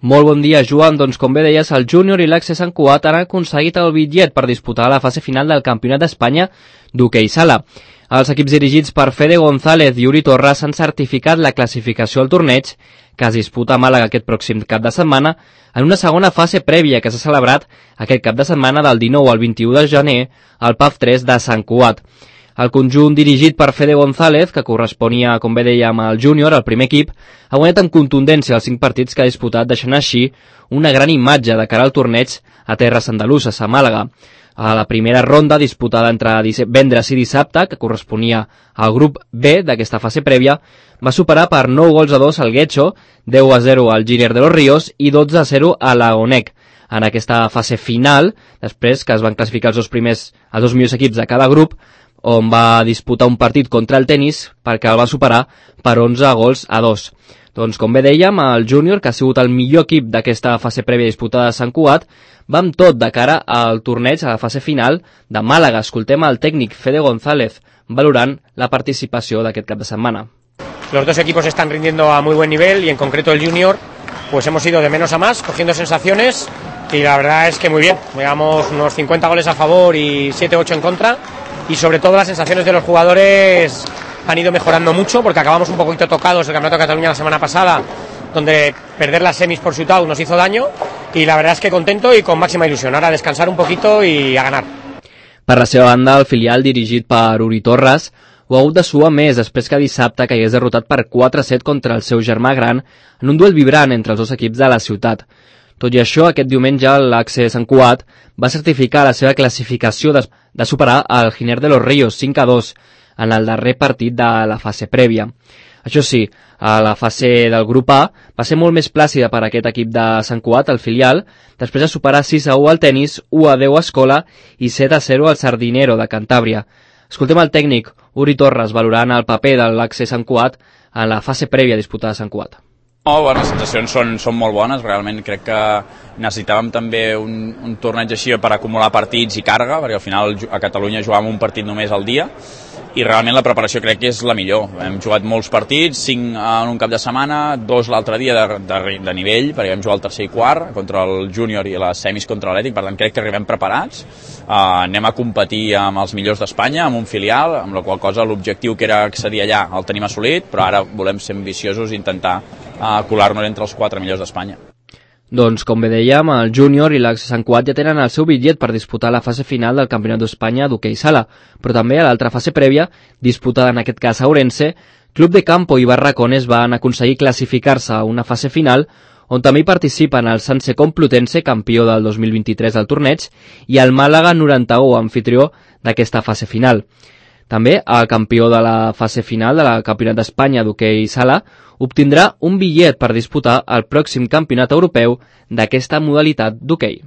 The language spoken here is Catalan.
Molt bon dia, Joan. Doncs com bé deies, el Júnior i l'Accés Sant Cugat han aconseguit el bitllet per disputar la fase final del Campionat d'Espanya d'hoquei sala. Els equips dirigits per Fede González i Uri Torres han certificat la classificació al torneig, que es disputa a Màlaga aquest pròxim cap de setmana, en una segona fase prèvia que s'ha celebrat aquest cap de setmana del 19 al 21 de gener al PAF 3 de Sant Cugat. El conjunt dirigit per Fede González, que corresponia, com bé dèiem, al Júnior, el primer equip, ha guanyat amb contundència els 5 partits que ha disputat, deixant així una gran imatge de cara al torneig a terres andaluses, a Màlaga. A la primera ronda, disputada entre divendres i dissabte, que corresponia al grup B d'aquesta fase prèvia, va superar per 9-2 al Guecho, 10-0 al Giner de los Ríos i 12-0 a l'Agonec. En aquesta fase final, després que es van classificar els dos millors equips de cada grup, on va disputar un partit contra el Tenis perquè el va superar per 11-2. Doncs com bé dèiem, el Júnior, que ha sigut el millor equip d'aquesta fase prèvia disputada a Sant Cugat, va amb tot de cara al torneig, a la fase final de Màlaga. Escoltem el tècnic Fede González valorant la participació d'aquest cap de setmana. Los dos equipos están rindiendo a muy buen nivel y en concreto el Júnior pues hemos ido de menos a más, cogiendo sensaciones y la verdad es que muy bien. Llevamos unos 50 goles a favor y 7-8 en contra. Y sobre todo las sensaciones de los jugadores han ido mejorando mucho porque acabamos un poquito tocados del Campeonato de Cataluña la semana pasada, donde perder las semis por shootout nos hizo daño, y la verdad es que contento y con máxima ilusión. Ahora a descansar un poquito y a ganar. Per la seva banda, el filial dirigit per Uri Torres ho ha hagut de suar més després que dissabte caigués derrotat per 4-7 contra el seu germà gran en un duel vibrant entre els dos equips de la ciutat. Tot i això, aquest diumenge l'Accés Sant Cugat va certificar la seva classificació de superar el Giner de los Ríos 5-2 en el darrer partit de la fase prèvia. Això sí, a la fase del grup A va ser molt més plàcida per aquest equip de Sant Cugat, el filial, després de superar 6-1 al Tenis, 1-10 a Escola i 7-0 al Sardinero de Cantàbria. Escoltem el tècnic Uri Torres valorant el paper de l'Accés Sant Cugat en la fase prèvia disputada a Sant Cugat. Les sensacions són molt bones, realment crec que necessitàvem també un torneig així per acumular partits i càrrega, perquè al final a Catalunya jugàvem un partit només al dia i realment la preparació crec que és la millor. Hem jugat molts partits, 5 en un cap de setmana, 2 l'altre dia de nivell, perquè vam jugar el tercer i quart contra el Júnior i les semis contra l'Atlètic, per tant crec que arribem preparats. Anem a competir amb els millors d'Espanya, amb un filial, amb la qual cosa l'objectiu que era accedir allà el tenim assolit, però ara volem ser ambiciosos i intentar colar-nos entre els 4 millors d'Espanya. Doncs, com bé dèiem, el Júnior i l'Accés Sant Cugat ja tenen el seu bitllet per disputar la fase final del Campionat d'Espanya d'hoquei sala, però també a l'altra fase prèvia, disputada en aquest cas a Ourense, Club de Campo i Barracones van aconseguir classificar-se a una fase final on també hi participen el Sanse Complutense, campió del 2023 del torneig, i el Màlaga 91, anfitrió d'aquesta fase final. També el campió de la fase final del Campionat d'Espanya d'hoquei sala obtindrà un bitllet per disputar el pròxim campionat europeu d'aquesta modalitat d'hoquei.